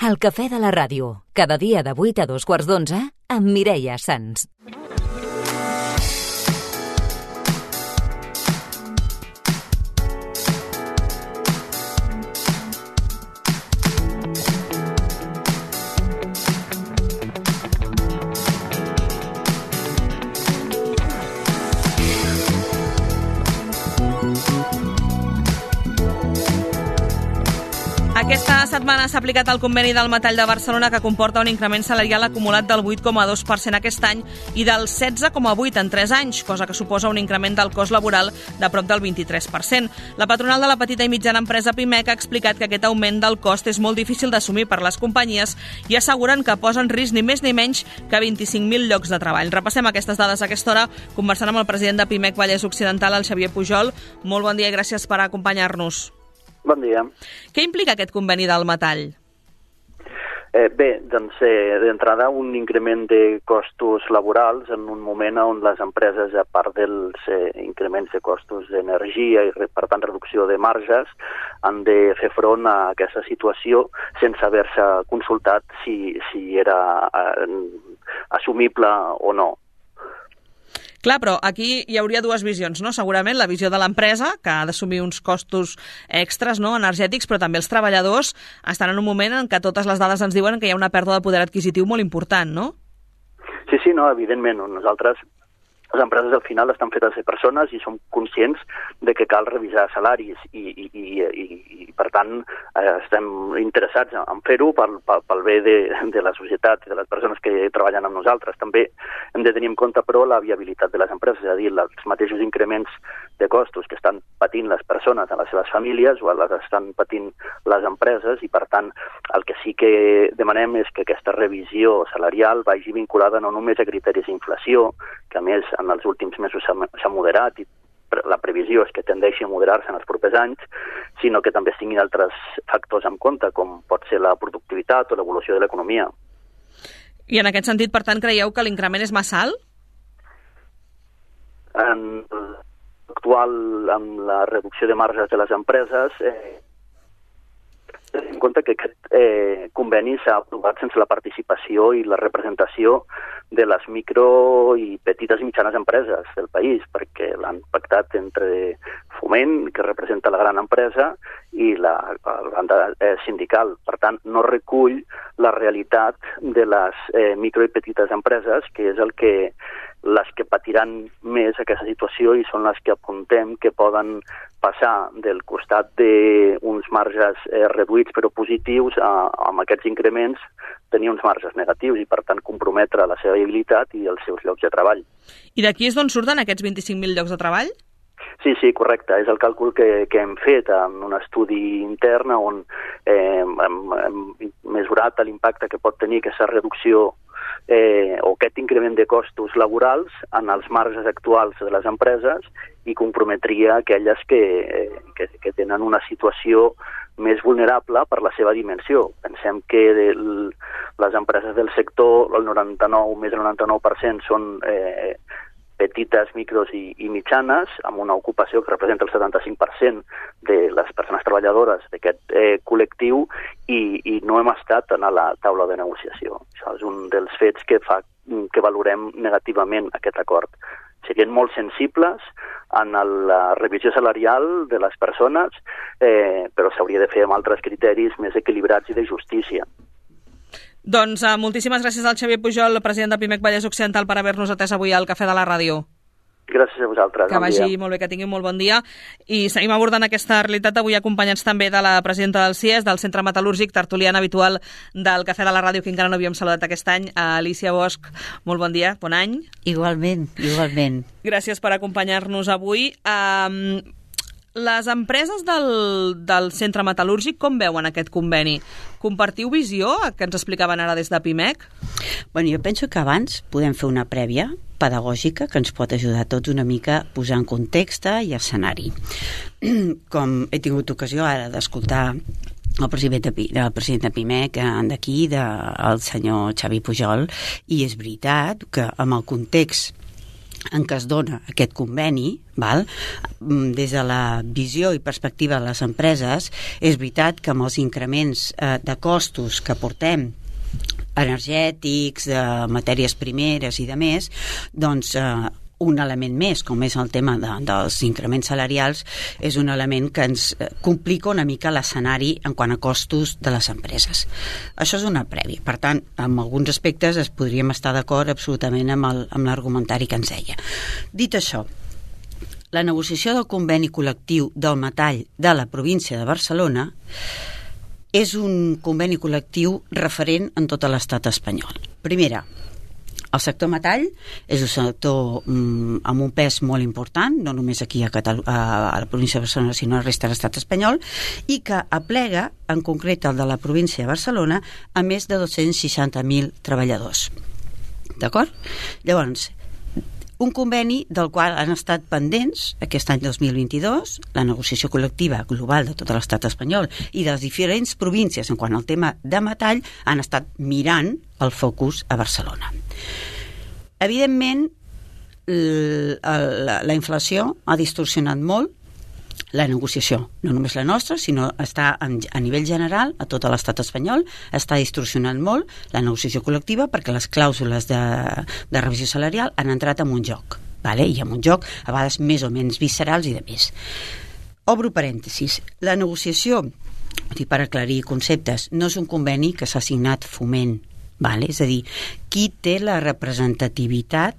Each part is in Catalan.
El Cafè de la Ràdio, cada dia de 8 a 2:15 amb Mireia Sans. Aquesta setmana s'ha aplicat el conveni del metall de Barcelona, que comporta un increment salarial acumulat del 8,2% aquest any i del 16,8% en 3 anys, cosa que suposa un increment del cost laboral de prop del 23%. La patronal de la petita i mitjana empresa Pimec ha explicat que aquest augment del cost és molt difícil d'assumir per les companyies i asseguren que posa en risc ni més ni menys que 25.000 llocs de treball. Repassem aquestes dades a aquesta hora conversant amb el president de Pimec Vallès Occidental, el Xavier Pujol. Molt bon dia i gràcies per acompanyar-nos. Bon dia. Què implica aquest conveni del metall? Bé, doncs d'entrada un increment de costos laborals en un moment on les empreses, a part dels increments de costos d'energia i per tant reducció de marges, han de fer front a aquesta situació sense haver-se consultat si era assumible o no. Clar, però aquí hi hauria dues visions, no? Segurament la visió de l'empresa, que ha d'assumir uns costos extras, no?, energètics, però també els treballadors estan en un moment en què totes les dades ens diuen que hi ha una pèrdua de poder adquisitiu molt important, no? Sí, no, evidentment. Nosaltres, les empreses al final estan fetes de persones i som conscients de que cal revisar salaris i per tant estem interessats en fer-ho pel bé de la societat i de les persones que treballen amb nosaltres. També hem de tenir en compte, però, la viabilitat de les empreses, és a dir, els mateixos increments de costos que estan patint les persones a les seves famílies o les estan patint les empreses i, per tant, el que sí que demanem és que aquesta revisió salarial vagi vinculada no només a criteris d'inflació, que a més en els últims mesos s'ha moderat i la previsió és que tendeixi a moderar-se en els propers anys, sinó que també es tinguin altres factors en compte, com pot ser la productivitat o l'evolució de l'economia. I en aquest sentit, per tant, creieu que l'increment és massa alt? En l'actual, amb la reducció de marges de les empreses, en compte que aquest conveni s'ha aprovat sense la participació i la representació de les micro i petites i mitjanes empreses del país, perquè l'han pactat entre Foment, que representa la gran empresa, i la banda sindical. Per tant, no recull la realitat de les micro i petites empreses, que és les que patiran més aquesta situació i són les que apuntem que poden passar del costat d'uns marges reduïts però positius amb aquests increments tenir uns marges negatius i, per tant, comprometre la seva viabilitat i els seus llocs de treball. I d'aquí és d'on surten aquests 25.000 llocs de treball? Sí, correcte. És el càlcul que hem fet en un estudi intern on hem mesurat l'impacte que pot tenir aquesta reducció o aquest increment de costos laborals en els marges actuals de les empreses i comprometria aquelles que tenen una situació més vulnerable per la seva dimensió. Pensem que les empreses del sector, més del 99% són petites, micros i mitjanes, amb una ocupació que representa el 75% de les persones treballadores d'aquest col·lectiu i no hem estat a la taula de negociació. Això és un dels fets que fa que valorem negativament aquest acord. Serien molt sensibles en la revisió salarial de les persones, però s'hauria de fer amb altres criteris més equilibrats i de justícia. Doncs moltíssimes gràcies al Xavier Pujol, president de Pimec Vallès Occidental, per haver-nos atès avui al Cafè de la Ràdio. Gràcies a vosaltres. Que vagi molt bé, que tingui un molt bon dia. I seguim abordant aquesta realitat avui acompanyats també de la presidenta del CIES, del Centre Metal·lúrgic, tertuliana habitual del Cafè de la Ràdio, que encara no havíem saludat aquest any, Alicia Bosch. Molt bon dia, bon any. Igualment. Gràcies per acompanyar-nos avui. Les empreses del Centre Metal·lúrgic com veuen aquest conveni? Compartiu visió, que ens explicaven ara des de Pimec? Bueno, jo penso que abans podem fer una prèvia pedagògica que ens pot ajudar a tots una mica a posar en context i escenari. Com he tingut ocasió ara d'escoltar el president de Pimec d'aquí, el senyor Xavi Pujol, i és veritat que amb el context en què es dona aquest conveni, val? Des de la visió i perspectiva de les empreses, és veritat que amb els increments de costos que portem, energètics, de matèries primeres i de més, doncs un element més, com és el tema dels increments salarials, és un element que ens complica una mica l'escenari en quant a costos de les empreses. Això és una prèvia. Per tant, en alguns aspectes es podríem estar d'acord absolutament amb l'argumentari que ens deia. Dit això, la negociació del conveni col·lectiu del metall de la província de Barcelona és un conveni col·lectiu referent en tot l'estat espanyol. Primera, el sector metall és un sector amb un pes molt important, no només aquí a la província de Barcelona, sinó a la resta de l'estat espanyol, i que aplega, en concret el de la província de Barcelona, a més de 260.000 treballadors. D'acord? Llavors, un conveni del qual han estat pendents aquest any 2022, la negociació col·lectiva global de tot l'estat espanyol i de les diferents províncies en quant al tema de metall han estat mirant el focus a Barcelona. Evidentment, la inflació ha distorsionat molt la negociació, no només la nostra, sinó està a nivell general, a tot l'estat espanyol, està distorsionant molt la negociació col·lectiva perquè les clàusules de revisió salarial han entrat en un joc, vale? I en un joc a vegades més o menys viscerals i de més. Obro parèntesis. La negociació, per aclarir conceptes, no és un conveni que s'ha signat Foment, vale? És a dir, qui té la representativitat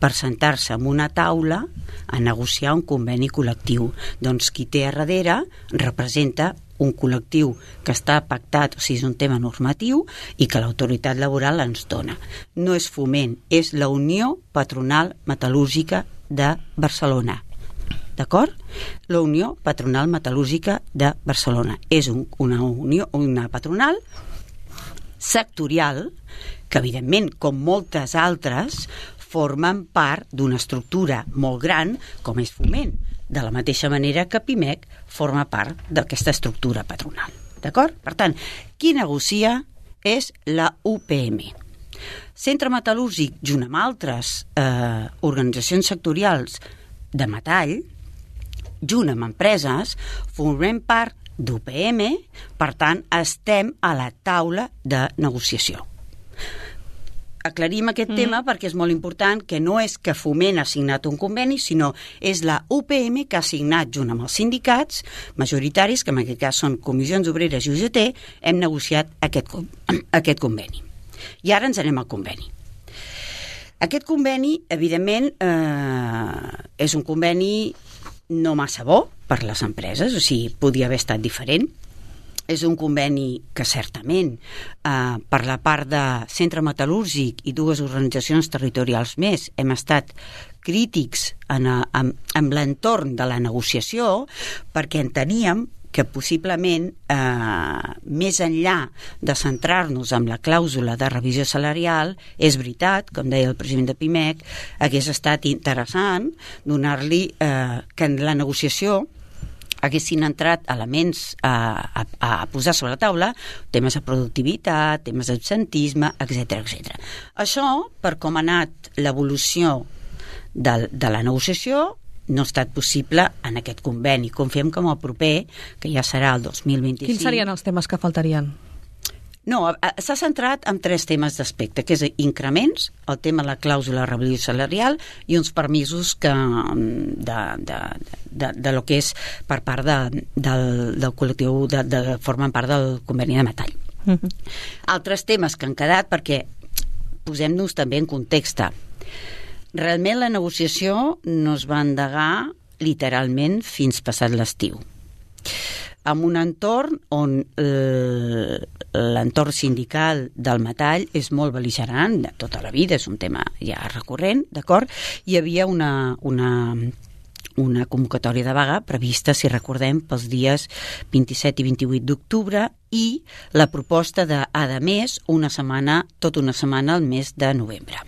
per sentar-se en una taula a negociar un conveni col·lectiu? Doncs qui té a darrere representa un col·lectiu que està pactat, o sigui, és un tema normatiu i que l'autoritat laboral ens dona. No és Foment, és la Unió Patronal Metal·lúrgica de Barcelona. D'acord? La Unió Patronal Metal·lúrgica de Barcelona. És una patronal sectorial que, evidentment, com moltes altres, formen part d'una estructura molt gran com és Foment, de la mateixa manera que Pimec forma part d'aquesta estructura patronal. D'acord? Per tant, qui negocia és la UPM. Centre Metal·lúrgic, junt amb altres organitzacions sectorials de metall, junt amb empreses, formem part d'UPM, per tant, estem a la taula de negociació. Aclarim aquest tema perquè és molt important, que no és que Foment ha signat un conveni, sinó és la UPM que ha signat junt amb els sindicats majoritaris, que en aquest cas són Comissions Obreres i UGT, hem negociat aquest conveni. I ara ens anem al conveni. Aquest conveni, evidentment, és un conveni no massa bo per les empreses, o sigui, podia haver estat diferent. És un conveni que certament per la part de Centre Metal·lúrgic i dues organitzacions territorials més hem estat crítics amb l'entorn de la negociació perquè enteníem que possiblement més enllà de centrar-nos en la clàusula de revisió salarial, és veritat, com deia el president de Pimec, hagués estat interessant donar-li que en la negociació haguessin entrat elements a posar sobre la taula, temes de productivitat, temes d'absentisme, etc. Això, per com ha anat l'evolució de la negociació, no ha estat possible en aquest conveni. Confiem que amb el proper, que ja serà el 2025... Quins serien els temes que faltarien? No, s'ha centrat en 3 temes d'aspecte, que és increments, el tema de la clàusula de revisió salarial i uns permisos de lo que és per part del col·lectiu formen part del conveni de metall. Altres temes que han quedat, perquè posem-nos també en context. Realment la negociació no es va endegar literalment fins passat l'estiu, amb un entorn on l'entorn sindical del metall és molt bel·ligerant de tota la vida, és un tema ja recurrent, d'acord? Hi havia una convocatòria de vaga prevista, si recordem, pels dies 27 i 28 d'octubre i la proposta de, a més, tota una setmana al mes de novembre.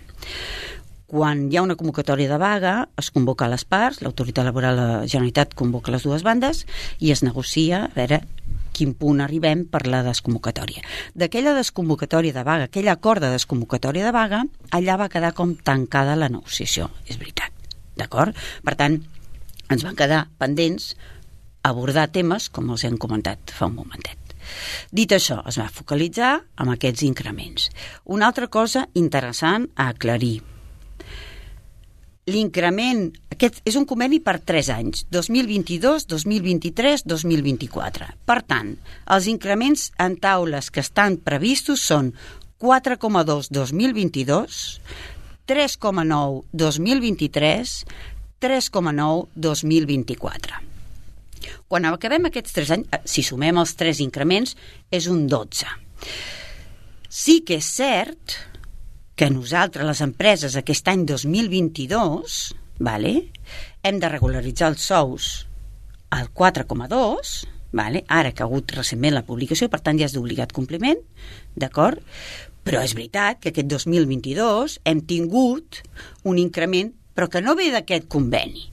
Quan hi ha una convocatòria de vaga, es convoca a les parts, l'autoritat laboral de la Generalitat convoca les dues bandes i es negocia a veure quin punt arribem per la desconvocatòria. D'aquella desconvocatòria de vaga, aquell acord de desconvocatòria de vaga, allà va quedar com tancada la negociació, és veritat. d'acord? Per tant, ens van quedar pendents abordar temes com els hem comentat fa un momentet. Dit això, es va focalitzar en aquests increments. Una altra cosa interessant a aclarir. L'increment, aquest és un conveni per 3 anys, 2022, 2023, 2024. Per tant, els increments en taules que estan previstos són 4,2 2022, 3,9 2023, 3,9 2024. Quan acabem aquests 3 anys, si sumem els 3 increments, és un 12. Sí que és cert que nosaltres, les empreses, aquest any 2022, hem de regularitzar els sous al 4,2, ara que ha hagut recentment la publicació, per tant ja és d'obligat compliment, d'acord? Però és veritat que aquest 2022 hem tingut un increment, però que no ve d'aquest conveni,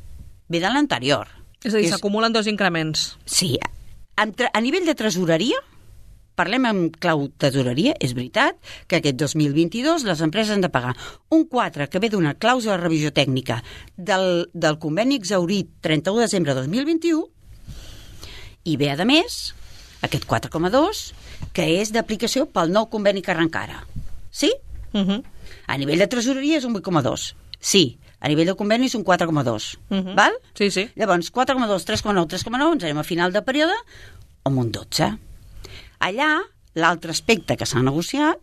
ve de l'anterior. És a dir, s'acumulen 2 increments. Sí. A nivell de tresoreria, parlem en clau tesoreria, és veritat que aquest 2022 les empreses han de pagar un 4 que ve d'una clàusula de revisió tècnica del conveni exhaurit 31 de desembre de 2021 i ve, a més, aquest 4,2 que és d'aplicació pel nou conveni que arrenca ara. Sí? A nivell de tresoreria és un 8,2. Sí. A nivell de conveni és un 4,2. Val? Sí, sí. Llavors, 4,2, 3,9, 3,9, ens anem a final de període amb un 12. Allà, l'altre aspecte que s'ha negociat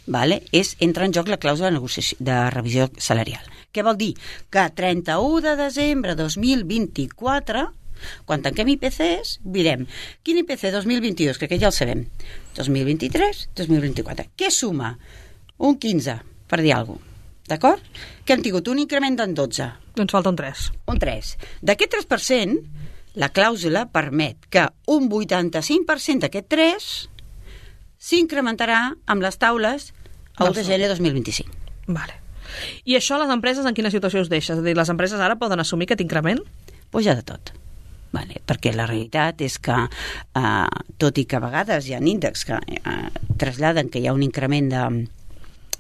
entra en joc la clàusula de revisió salarial. Què vol dir? Que 31 de desembre de 2024, quan tanquem IPCs, direm quin IPC 2022, que ja el sabem, 2023, 2024. Què suma? Un 15, per dir alguna cosa. D'acord? Que hem tingut un increment d'en 12. Doncs falta un 3. Un 3. D'aquest 3%, la clàusula permet que un 85% d'aquest 3 s'incrementarà amb les taules a 1 de gener 2025. Vale. I això les empreses en quina situació us deixa? És a dir, les empreses ara poden assumir aquest increment? Pues ja de tot. Perquè la realitat és que, tot i que a vegades hi ha índexs que traslladen que hi ha un increment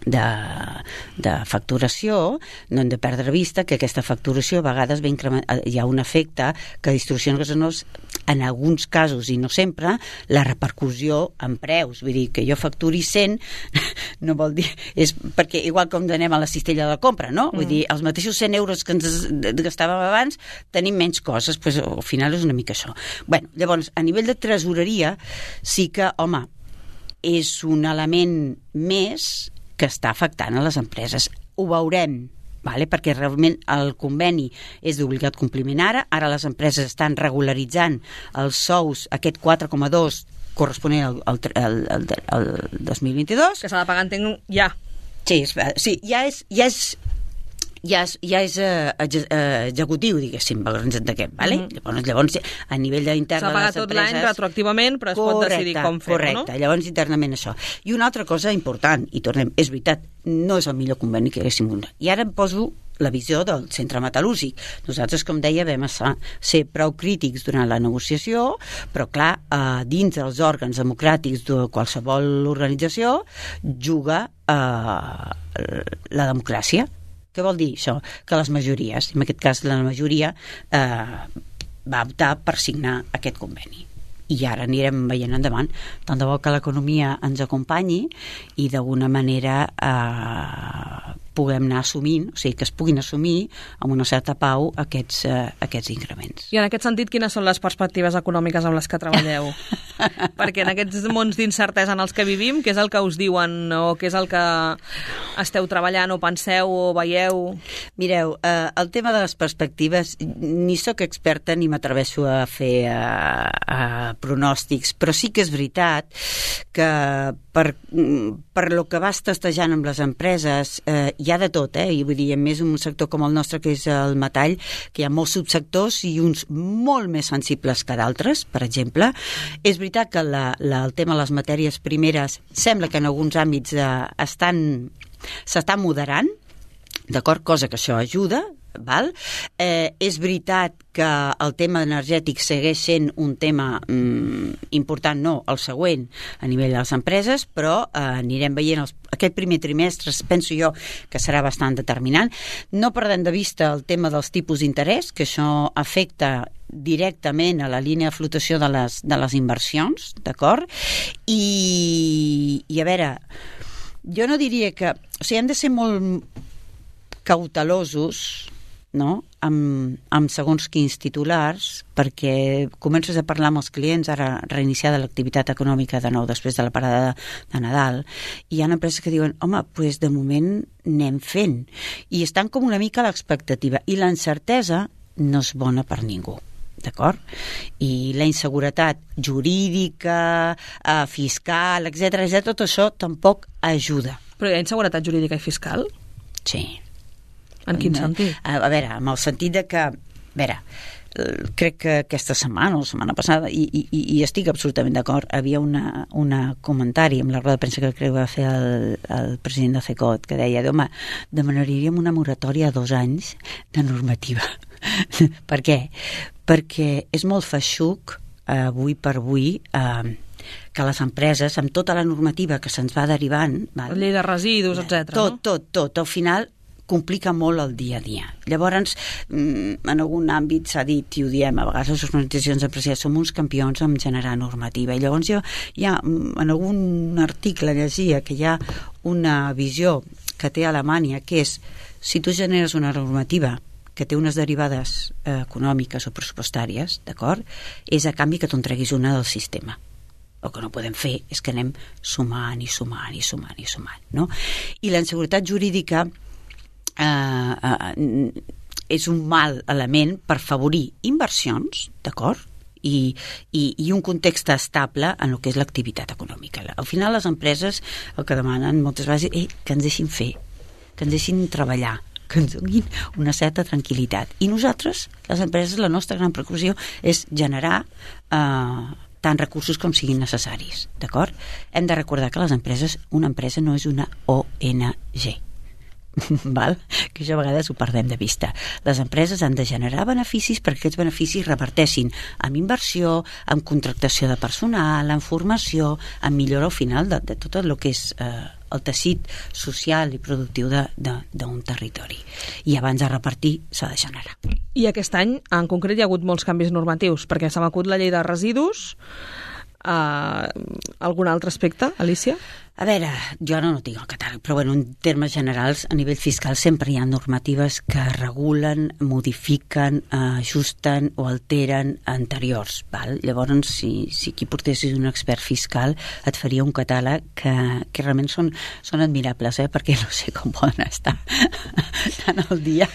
de facturació, no hem de perdre vista que aquesta facturació a vegades hi ha un efecte que distorsiona en alguns casos, i no sempre, la repercussió en preus. Vull dir, que jo facturi 100 no vol dir... És perquè igual com anem a la cistella de la compra, no? Vull dir, els mateixos 100 euros que ens gastàvem abans tenim menys coses, doncs al final és una mica això. Llavors, a nivell de tresoreria sí que, home, és un element més que està afectant a les empreses. Ho veurem, perquè realment el conveni és d'obligat compliment ara les empreses estan regularitzant els sous, aquest 4,2 corresponent al 2022. Que s'ha de pagar, entenc, ja. Sí, ja és executiu, diguéssim, ens entenguem, Llavors, a nivell intern de les empreses... S'ha pagat tot l'any retroactivament, però es pot decidir com fer-ho, no? Correcte, llavors internament això. I una altra cosa important, i tornem, és veritat, no és el millor conveni que haguéssim donat. I ara em poso la visió del centre metal·lúrgic. Nosaltres, com deia, vam ser prou crítics durant la negociació, però clar, dins dels òrgans democràtics de qualsevol organització juga la democràcia. Què vol dir això? Que les majories, en aquest cas la majoria, va optar per signar aquest conveni. I ara anirem veient endavant. Tant de bo que l'economia ens acompanyi i d'alguna manera puguem anar assumint, o sigui, que es puguin assumir amb una certa pau aquests increments. I en aquest sentit, quines són les perspectives econòmiques amb les que treballeu? Perquè en aquests mons d'incertesa en els que vivim, què és el que us diuen o què és el que esteu treballant o penseu o veieu? Mireu, el tema de les perspectives, ni sóc experta ni m'atreveixo a fer pronòstics, però sí que és veritat que per lo que vas testejant amb les empreses hi ha de tot, i vull dir, més un sector com el nostre, que és el metall, que hi ha molts subsectors i uns molt més sensibles que d'altres, per exemple. És veritat que el tema de les matèries primeres sembla que en alguns àmbits s'estan moderant, d'acord? Cosa que això ajuda, val? És veritat que el tema energètic segueix sent un tema important, no, el següent a nivell de les empreses, però anirem veient aquest primer trimestre, penso jo que serà bastant determinant. No perdem de vista el tema dels tipus d'interès, que això afecta directament a la línia de flotació de les inversions, d'acord? I a veure, jo no diria que... O sigui, hem de ser molt cautelosos, no?, amb segons quins titulars, perquè comences a parlar amb els clients, ara reiniciada l'activitat econòmica de nou després de la parada de Nadal, i hi ha empreses que diuen, home, doncs de moment anem fent, i estan com una mica a l'expectativa, i la incertesa no és bona per ningú, d'acord? I la inseguretat jurídica, fiscal, etcètera, tot això tampoc ajuda. Però hi ha inseguretat jurídica i fiscal? Sí. En quin sentit? A veure, amb el sentit de que, crec que aquesta setmana o la setmana passada, i estic absolutament d'acord, havia un comentari amb la roda de premsa que crec que va fer el president de CECOT, que deia, home, demanaríem una moratòria a 2 anys de normativa. Per què? Perquè és molt feixuc, avui per avui, que les empreses, amb tota la normativa que se'ns va derivant... La llei de residus, etc. Tot. Al final complica molt el dia a dia. Llavors, en algun àmbit s'ha dit, i ho diem, a vegades les organitzacions empresarials som uns campions en generar normativa. I llavors en algun article llegia que hi ha una visió que té Alemanya, que és, si tu generes una normativa que té unes derivades econòmiques o pressupostàries, d'acord? És a canvi que tu en treguis una del sistema. El que no podem fer és que anem sumant, no? I la inseguretat jurídica és un mal element per favorir inversions, d'acord? I un context estable en el que és l'activitat econòmica. Al final les empreses el que demanen moltes vegades és que ens deixin fer, que ens deixin treballar, que ens donin una certa tranquil·litat. I nosaltres, les empreses, la nostra gran preocupació és generar tants recursos com siguin necessaris, d'acord? Hem de recordar que una empresa no és una ONG, val? Que això a vegades ho perdem de vista. Les empreses han de generar beneficis perquè aquests beneficis reverteixin en inversió, en contractació de personal, en formació, en millora al final de tot el que és el teixit social i productiu d'un territori. I abans de repartir s'ha de generar. I aquest any, en concret, hi ha hagut molts canvis normatius, perquè se m'acut la llei de residus. Algun altre aspecte, Alicia? A veure, jo no tinc el catàleg, però en termes generals, a nivell fiscal sempre hi ha normatives que regulen, modifiquen, ajusten o alteren anteriors. Val? Llavors, si aquí portessis un expert fiscal, et faria un catàleg que realment són admirables, perquè no sé com poden estar tan al dia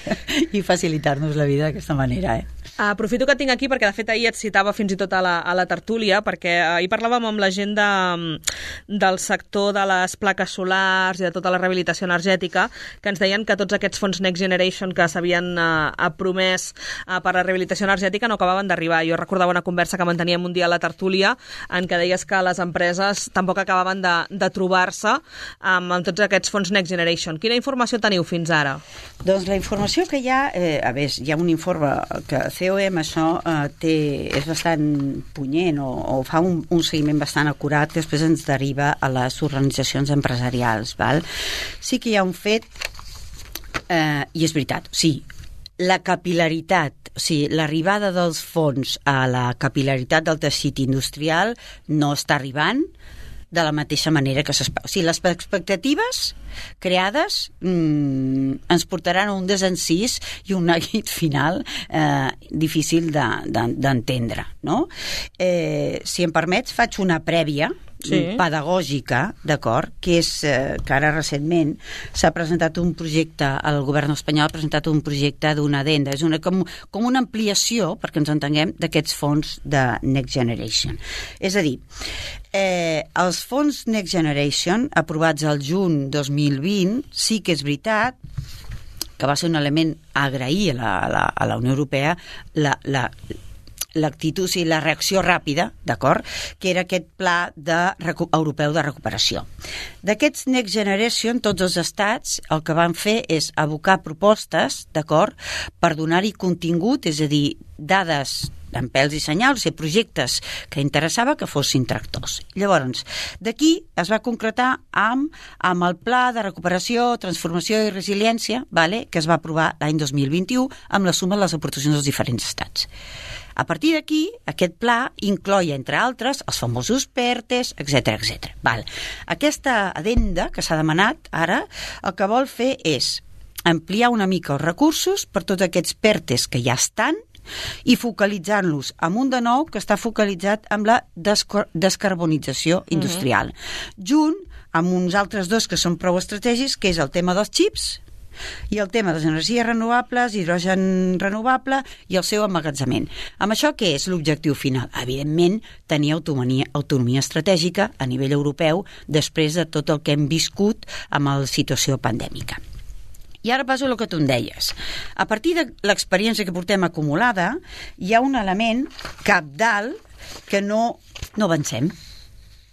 i facilitar-nos la vida d'aquesta manera. Aprofito que tinc aquí perquè de fet ahir et citava fins i tot a la tertúlia, perquè ahir parlàvem amb la gent del sector de les plaques solars i de tota la rehabilitació energètica, que ens deien que tots aquests fons Next Generation que s'havien promès per la rehabilitació energètica no acabaven d'arribar. Jo recordava una conversa que manteníem un dia a la tertúlia en què deies que les empreses tampoc acabaven de trobar-se amb tots aquests fons Next Generation. Quina informació teniu fins ara? Doncs la informació que hi ha, hi ha un informe que COM això és bastant punyent o fa un seguiment bastant acurat que després ens deriva a les organitzacions empresarials. Val? Sí que hi ha un fet, i és veritat, sí, la capil·laritat, o sigui, l'arribada dels fons a la capil·laritat del teixit industrial no està arribant de la mateixa manera que s'espera. O sigui, les expectatives creades ens portaran a un desencís i un neguit final difícil d'entendre, no? Si em permets, faig una prèvia pedagògica, d'acord, que és que ara recentment s'ha presentat un projecte, el govern espanyol ha presentat un projecte d'una addenda, és com una ampliació, perquè ens entenguem, d'aquests fons de Next Generation. És a dir, els fons Next Generation aprovats al juny 2020 sí que és veritat que va ser un element a agrair a la Unió Europea l'actitud i la reacció ràpida, d'acord? Que era aquest pla europeu de recuperació. D'aquests Next Generation, tots els estats el que van fer és abocar propostes, d'acord, per donar-hi contingut, és a dir, dades amb pèls i senyals i projectes que interessava que fossin tractors. Llavors, d'aquí es va concretar amb el Pla de Recuperació, Transformació i Resiliència, que es va aprovar l'any 2021 amb la suma de les aportacions dels diferents estats. A partir d'aquí, aquest pla incloïa, entre altres, els famosos PERTEs, etc. Aquesta addenda que s'ha demanat ara, el que vol fer és ampliar una mica els recursos per tots aquests PERTEs que ja estan i focalitzant-los en un de nou que està focalitzat amb la descarbonització industrial, junt amb uns altres dos que són prou estratègics, que és el tema dels xips i el tema de les energies renovables, hidrogen renovable i el seu emmagatzemament. Amb això, què és l'objectiu final? Evidentment, tenir autonomia estratègica a nivell europeu després de tot el que hem viscut amb la situació pandèmica. I ara passo al que tu em deies. A partir de l'experiència que portem acumulada, hi ha un element cabdal que no avancem.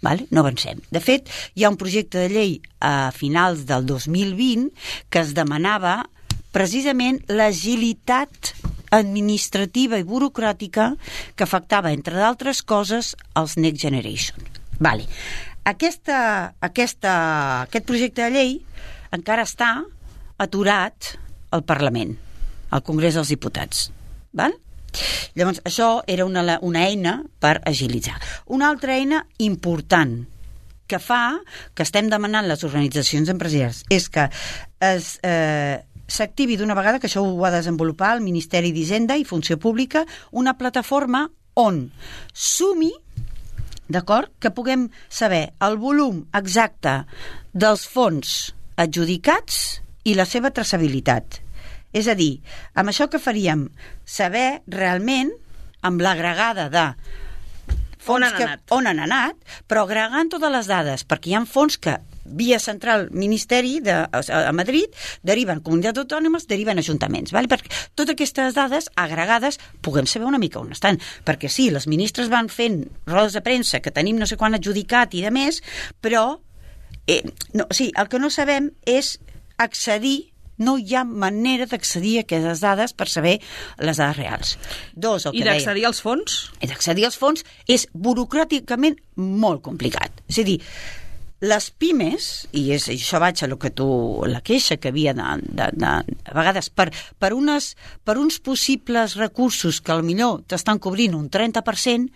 No avancem. De fet, hi ha un projecte de llei a finals del 2020 que es demanava precisament l'agilitat administrativa i burocràtica que afectava, entre d'altres coses, els Next Generation. Aquest projecte de llei encara està aturat al Parlament, al Congrés dels Diputats. Llavors, això era una eina per agilitzar. Una altra eina important que fa, que estem demanant les organitzacions empresarials, és que s'activi d'una vegada, que això ho va desenvolupar el Ministeri d'Hisenda i Funció Pública, una plataforma on sumi, d'acord, que puguem saber el volum exacte dels fons adjudicats i la seva traçabilitat. És a dir, amb això que faríem saber realment, amb l'agregada de fons on han anat, però agregant totes les dades, perquè hi ha fons que via central Ministeri a Madrid deriven comunitats autònomes, deriven ajuntaments, perquè totes aquestes dades agregades puguem saber una mica on estan, perquè sí, les ministres van fent rodes de premsa que tenim no sé quan adjudicat i de més, però el que no sabem és accedir, no hi ha manera d'accedir a aquestes dades per saber les dades reals. I d'accedir als fons? I d'accedir als fons és burocràticament molt complicat. És a dir, les pimes, i això vaig a la queixa que havia a vegades per uns possibles recursos que potser t'estan cobrint un 30%,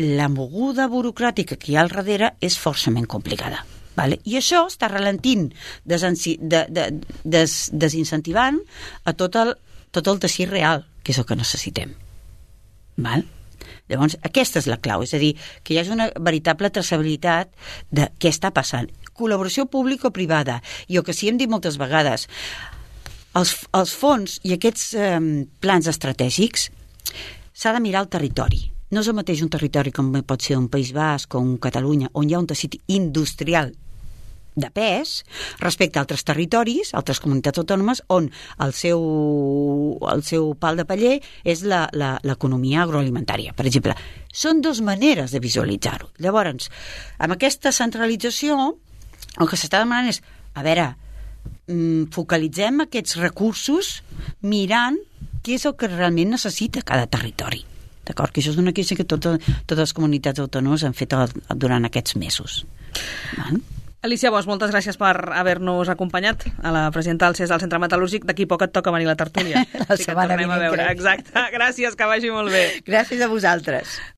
la moguda burocràtica que hi ha al darrere és forçament complicada. I això està ralentint, desincentivant a tot el teixit real, que és el que necessitem. Llavors, aquesta és la clau, és a dir, que hi hagi una veritable traçabilitat de què està passant. Col·laboració pública-privada, i el que sí hem dit moltes vegades, els fons i aquests plans estratègics s'ha de mirar el territori. No és el mateix un territori com pot ser un País Basc o un Catalunya, on hi ha un teixit industrial de pes respecte a altres territoris, altres comunitats autònomes, on el seu pal de paller és l'economia agroalimentària, per exemple. Són dues maneres de visualitzar-ho. Llavors, amb aquesta centralització, el que s'està demanant és, focalitzem aquests recursos mirant què és el que realment necessita cada territori. D'acord? Que això és una queixa que totes les comunitats autònomes han fet durant aquests mesos. Alicia Bosch, moltes gràcies per haver-nos acompanyat a la presidenta del CES del Centre Metal·lúrgic. D'aquí poc et toca venir a la tertúlia. La setmana vinent, crec. Exacte. Gràcies, que vagi molt bé. Gràcies a vosaltres.